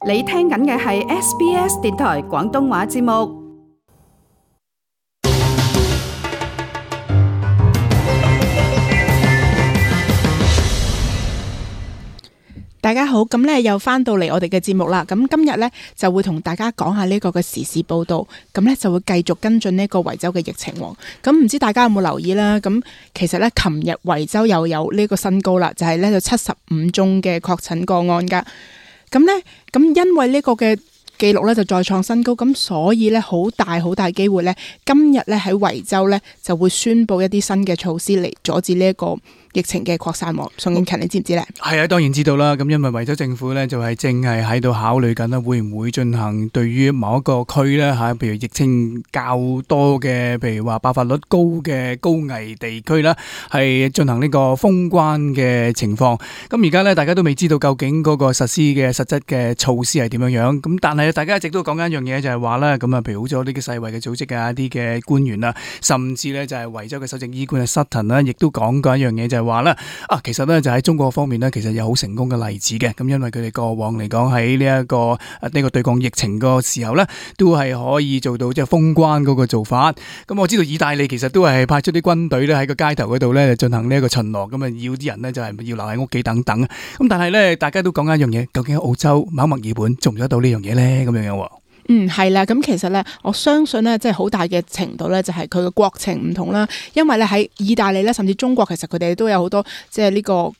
你聽緊嘅係 SBS 電台廣東話節目。大家好，咁咧又翻到嚟我哋嘅節目啦。咁今日咧就會同大家講下呢個嘅時事報道，咁咧就會繼續跟進呢個維州嘅疫情。咁唔知大家有冇留意啦？咁其實咧，琴日維州又有呢個新高啦，就係咧就75宗嘅確診個案噶。咁咧，因為呢個嘅記錄咧就再創新高，咁所以咧好大機會咧，今日咧喺維州咧就會宣布一啲新嘅措施嚟阻止呢一個疫情嘅擴散。宋英勤，你知唔知咧？係啊，當然知道啦。咁因為維州政府咧就係正係喺度考慮緊啦，會唔會進行對於某一個區咧吓，譬如疫情較多嘅，譬如話爆發率高嘅高危地區啦，係進行呢個封關嘅情況。咁而家咧大家都未知道究竟嗰個實施嘅實質嘅措施係點樣樣。咁但係大家一直都講緊一樣嘢，就係話咧，咁啊，譬如好咗呢個世衛嘅組織啊，一啲嘅官員啊，甚至咧就係維州嘅首席醫官啊 Sutton 啦，亦都講過一樣嘢，就係話咧其實咧就喺中國方面咧，其實有好成功嘅例子嘅。咁因為佢哋過往嚟講喺呢一個對抗疫情個時候咧，都係可以做到即係封關嗰個做法。咁我知道意大利其實都係派出啲軍隊咧喺個街頭嗰度咧進行呢一個巡邏，咁啊要啲人咧就係要留喺屋企等等。咁但係咧大家都講緊一樣嘢，究竟喺澳洲某墨爾本做唔做得到呢樣嘢咧？咁樣樣。係啦，咁其實咧，我相信咧，即係好大嘅程度咧，就係佢嘅國情唔同啦。因為咧喺意大利咧，甚至中國，其實佢哋都有好多即係呢個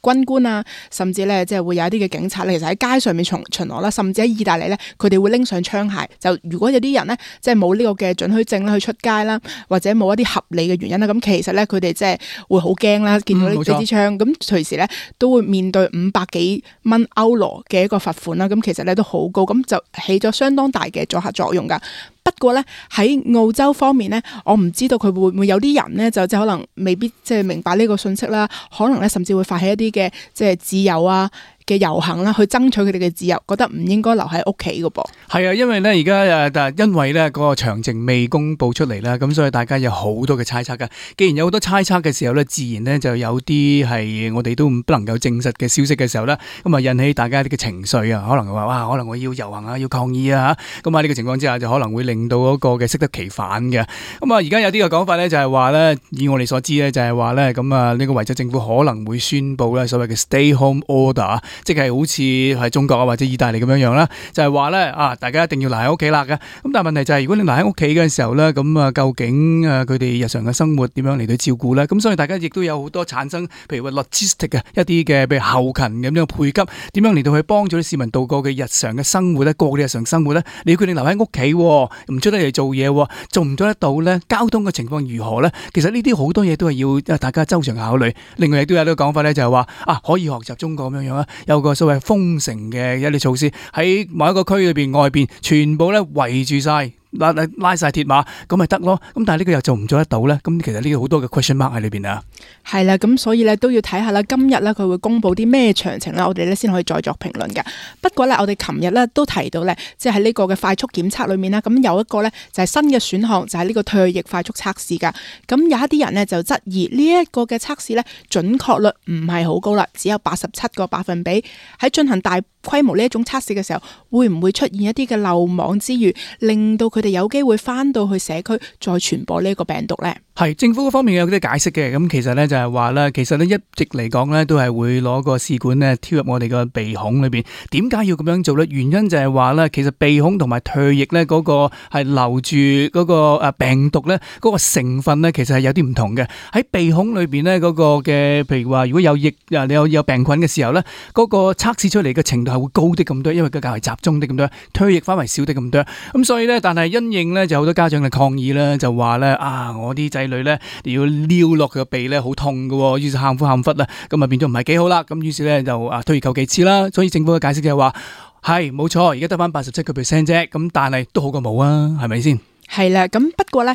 軍官啊，甚至咧即係會有一啲嘅警察咧，其實喺街上面巡邏啦，甚至喺意大利咧，佢哋會拎上槍械。就如果有啲人咧，即係冇呢個嘅准許證啦，去出街啦，或者冇一啲合理嘅原因啦，咁其實咧佢哋即係會好驚啦，見到呢支槍，咁隨時咧都會面對500幾蚊歐羅嘅一個罰款啦。咁其實咧都好高，咁就起咗相當大嘅阻嚇作用噶。不過咧喺澳洲方面咧，我唔知道佢會唔會有啲人咧就即係可能未必即係明白呢個信息啦，可能咧甚至會發起一啲嘅即係自由啊嘅遊行啦，去爭取佢哋嘅自由，覺得唔應該留喺屋企㗎噃。係啊，因為咧而家但係因為咧嗰個詳情未公布出嚟啦，咁所以大家有好多嘅猜測㗎。既然有好多猜測嘅時候咧，自然咧就有啲係我哋都不能夠證實嘅消息嘅時候咧，咁啊引起大家啲嘅情緒啊，可能話哇，可能我要遊行啊，要抗議啊嚇。咁喺呢個情況之下，就可能會令到嗰個嘅適得其反嘅。咁啊，而家有啲嘅講法咧，就係話咧，以我哋所知咧，就係話咧，咁啊呢個維州政府可能會宣布咧所謂嘅 Stay Home Order。即係好似係中國啊或者意大利咁樣樣啦，就係話咧大家一定要留喺屋企啦嘅。咁但係問題就係，如果你留喺屋企嘅時候咧，咁啊究竟佢哋日常嘅生活點樣嚟到照顧咧？咁所以大家亦都有好多產生，譬如話 logistic 嘅一啲嘅，譬如後勤咁樣配給，點樣嚟到去幫助啲市民度過嘅日常嘅生活咧，過嘅日常生活咧，你要決定留喺屋企，唔出得嚟做嘢，做唔做得到咧？交通嘅情況如何咧？其實呢啲好多嘢都係要大家周詳考慮。另外亦都有呢個講法咧，就係話可以學習中國咁樣樣啦，有個所謂封城嘅一啲措施喺某一個區裏邊外邊全部咧圍住晒。拉晒鐵馬咁咪得咯，咁但係呢個又做唔做得到咧？咁其實呢個好多嘅 question mark 喺裏邊啊。係啦，咁所以咧都要睇下啦。今日咧佢會公布啲咩詳情啦，我哋咧先可以再作評論嘅。不過咧，我哋琴日咧都提到咧，即係喺呢個嘅快速檢測裏面啦，咁有一個咧就係新嘅選項，就係呢個唾液快速測試噶。咁有一啲人咧就質疑呢一個嘅測試咧準確率唔係好高啦，只有87%。喺進行大規模呢一種測試嘅時候，會唔會出現一啲嘅漏網之魚，令到佢哋有機會翻到去社區再傳播呢個病毒呢？係政府嗰方面有啲解釋嘅，咁其實咧就係話咧，其實咧一直嚟講咧都係會攞個試管咧挑入我哋個鼻孔裏邊。點解要咁樣做咧？原因就係話咧，其實鼻孔同埋唾液咧嗰個係留住嗰個病毒咧嗰個成分咧，其實係有啲唔同嘅。喺鼻孔裏邊咧嗰個嘅，譬如話如果有液你有病菌嘅時候咧，嗰個測試出嚟嘅程度係會高啲咁多，因為佢較為集中啲咁多，唾液反為少啲咁多。咁所以咧，但係因應咧就好多家長嘅抗議啦，就話咧我啲仔女咧要撩落佢個鼻咧好痛㗎，於是喊苦喊忽啦，咁啊變咗唔係幾好啦。咁於是咧就退而求其次啦。所以政府嘅解釋就係話係冇錯，而家得翻87% 啫，咁但係都好過冇啊，係咪先？係啦，咁不過咧，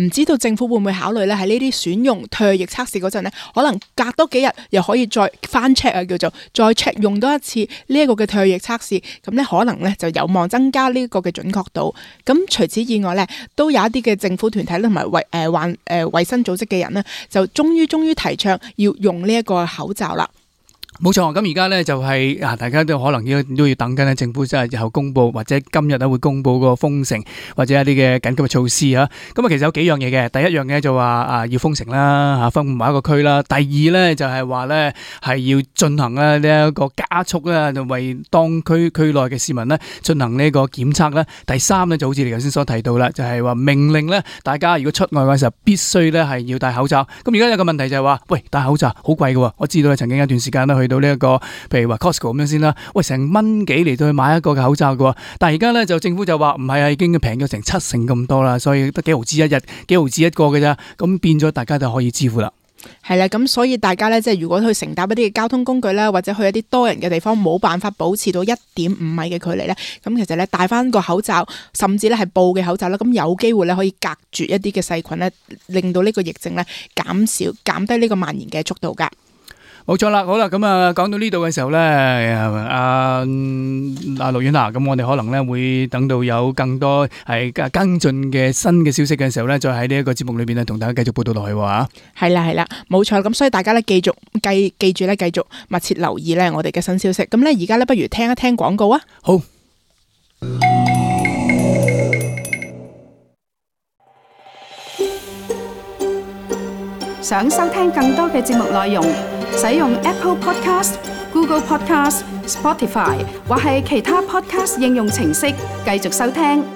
唔知道政府會唔會考慮咧喺呢啲選用唾液測試嗰陣咧，可能隔多幾日又可以再翻 check 啊，叫做再 check 用多一次呢一個嘅唾液測試，咁咧可能咧就有望增加呢個嘅準確度。咁除此以外咧，都有一啲嘅政府團體同埋衛生組織嘅人咧，就終於提倡要用呢一個口罩啦。冇錯，咁而家咧就係大家都可能都要等緊咧，政府真係日後公布或者今日咧會公布個封城或者一啲嘅緊急嘅措施啊。咁啊，其實有幾樣嘢嘅。第一樣嘢就話要封城啦，分某一個區啦。第二咧就係話咧係要進行咧呢一個加速啦，就為當區內嘅市民咧進行呢個檢測啦。第三咧就好似你頭先所提到啦，就係話命令咧大家如果出外嘅時候必須咧係要戴口罩。咁而家有個問題就係話，喂，戴口罩好貴嘅，我知道曾經一段時間咧去到呢一個，譬如話 Costco 咁樣先啦，喂，成蚊幾嚟到去買一個嘅口罩嘅，但係而家咧就政府就話唔係啊，已經平咗成7成咁多啦，所以得幾毫子一日，幾毫子一個嘅咋，咁變咗大家就可以支付啦。係啦，咁所以大家咧，即係如果去乘搭一啲嘅交通工具啦，或者去一啲多人嘅地方，冇辦法保持到1.5米嘅距離咧，咁其實咧戴翻個口罩，甚至咧係布嘅口罩啦，咁有機會咧可以隔絕一啲嘅細菌咧，令到呢個疫症咧減低呢個蔓延嘅速度噶。冇錯啦，好啦，咁啊講到呢度嘅時候咧，阿陸婉娜，咁我哋可能咧會等到有更多係跟進嘅新嘅消息嘅時候咧，再喺呢一個節目裏邊咧同大家繼續報道落去喎。係啦，冇錯，咁所以大家咧記住咧繼續密切留意咧我哋嘅新消息。咁咧而家咧不如聽一聽廣告啊。好。想收聽更多嘅節目內容，使用 Apple Podcast、Google Podcast、Spotify 或係其他 Podcast 應用程式繼續收聽。